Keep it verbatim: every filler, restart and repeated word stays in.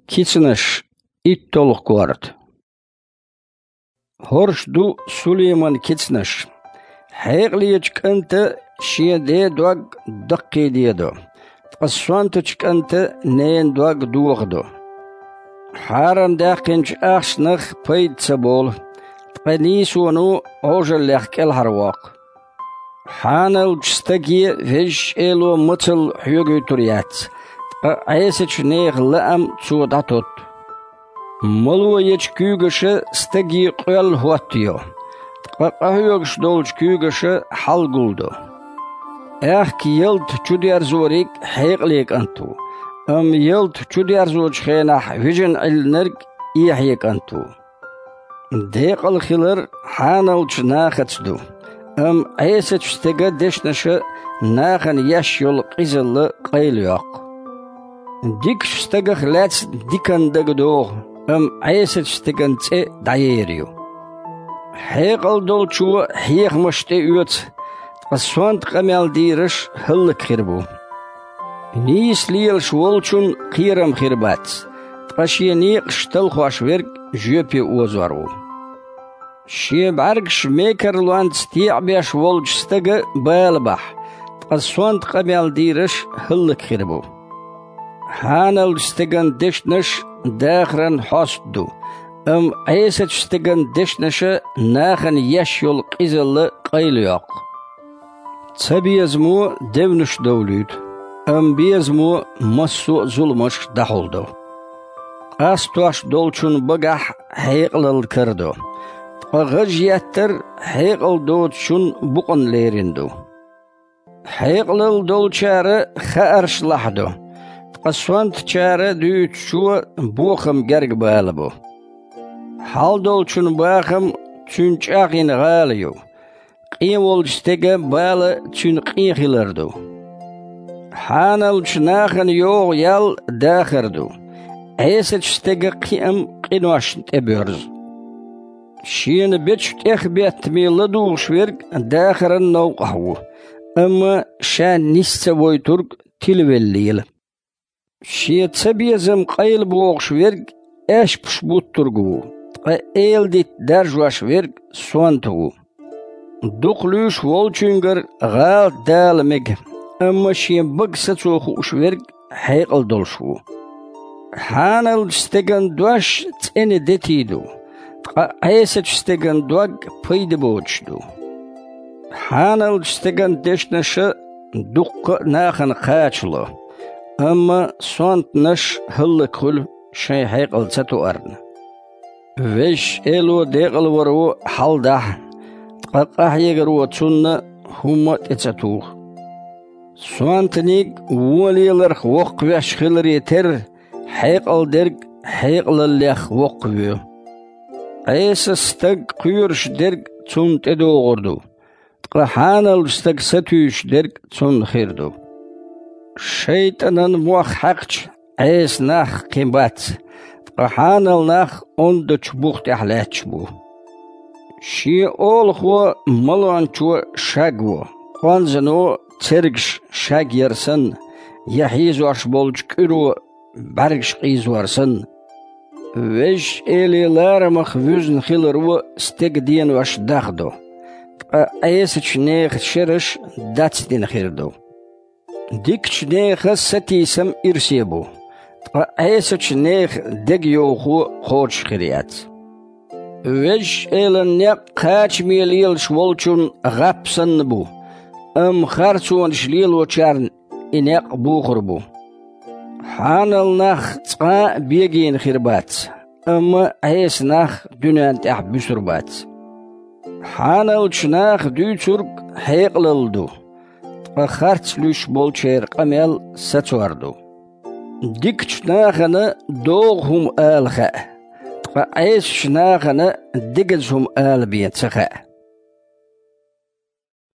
Кицанаш, иттолгӀа корта. ХӀорш ду Сулейман кицанаш. Хьекъалечу кӀанта шен ден дог даккхийдедо, ткъа сонтачу кӀанта ненан дог дохадо. Хьарам даьккхинчу ахчанах пайда ца болу, ткъа нийсоно Ӏожаллех кӀелхьарвоккху. Хьаналчу стаге Везачу Эло мацалла хьоьгуьйтур яц, ткъа Ӏесачу нехан лаам цо дӀатотту. Мало ечу куьйгаша стаге къоьлла хӀоттайо, ткъа къахьоьгуш долчу куьйгаша хьал гулдо. Аьхка ялта чудерзориг хьекъале кӀант ву, амма ялта чудерзочу хенахь вижина Ӏиллинарг эхье кӀант ву. Декъала хилар хьаналчу нахаца ду, амма Ӏесачу стеган дешнаша нахана еш йолу къизалла къайлайоккху. Дикачу стагах лаьцна диканна дага догӀу, амма Ӏесачу стеган цӀе дӀаер ю. Хьекъал долчо хьехамаш тӀеоьцу, ткъа сонта къамел дийраш хӀаллакьхир бу. Нийса лелаш волчун кхерам хир бац, ткъа шен некъаш талхош верг жоьпе озор ву. Шен бӀаьргаш мекарлонца теӀабеш волчу стага бала бахь, ткъа сонта къамел дийраш хӀаллакьхир бу. Хьаналчу стеган дешнаш дахаран хьоста ду, амма Ӏесачу стеган дешнаша нахана еш йолу къизалла къайлайоккху. Цабезамо девнаш довлуьйту, амма безамо массо а зуламаш дӀахьулдо. Къастош долчун багахь хьекъалалла карадо, ткъа гӀаж еттар хьекъал доцучун букъана лерина ду. Хьекъалалла долчара хаарш лахьадо, ткъа сонтачара дуьйцучо бохам герга бала бу. Хьал долчун бахам цуьнан чӀагӀйина гӀала ю, къен волчу стеган бала цуьнан къен хилар ду. Хьаналчу нахана йогӀу ял дахар ду, Ӏесачу стеган кхиам къиношна тӀебоьрзу. Шена бечу тӀехбеттаме ладугӀуш верг дахаран новкъахь ву, амма ша нис ца войтург тилавелла лела. Шен цабезам къайлабохуш верг аьшпаш буттург ву, ткъа эладитта даржош верг сонта ву. Дукха луьйш волчуьнгара гӀалат дала мега, амма шен бага сацо хууш верг хьекъал долуш ву. Хьаналчу стеган дош цӀена детий ду, ткъа Ӏесачу стеган дог пайда боцуш ду. Хьаналчу стеган дешнаша дуккха а нахана кхачало, амма сонтанаш хӀаллакьхуьлу шайн хьекъал ца тоарна. Везачу Эло декъалваро хьалдахь, ткъа къахьегаро цунна хӀумма а тӀе ца туху. Сонтаниг вон леларх воккхавеш хиларе терра, хьекъал дерг хьекъалаллех воккхавоь. Ӏеса стаг кхоьруш дерг цунна тӀедогӀур ду, ткъа хьаналчу стаг сатуьйсуш дерг цунна хир ду. ШайтӀанан мох хьаькхча, Ӏеса нах кхин бац, ткъа хьанал нах ондачу бух тӀехь лаьтташ бу. Шен олахо малончо шаг во, къонзано цергаш шаг яр санна, я хьийзош болчу кӀуьро бӀаьргаш къийзор санна. Везачу Эле ларамах вуьзна хиларо стеган денош дахдо, ткъа Ӏесачу нехан шераш дацдина хир ду. Дикачу нехан сатийсам ирсе бу, ткъа Ӏесачу нехан дегайовхо кхочуш хир яц. Везачу Элан некъ кхачаме лелаш волчун гӀап санна бу, амма харцонаш лелочарна и некъ бухур бу. Хьанал нах цкъа а бегийна хир бац, амма Ӏеса нах дуьнен тӀехь буьсур бац. Хьаналчу наха дуьйцург хьекъалалла ду, ткъа харц луьйш болчеран къамел сацор ду. Дикачу нахана догӀу хӀума ала хаьа, ткъа Ӏесачу нахана дегаза хӀума ала бен ца хаьа.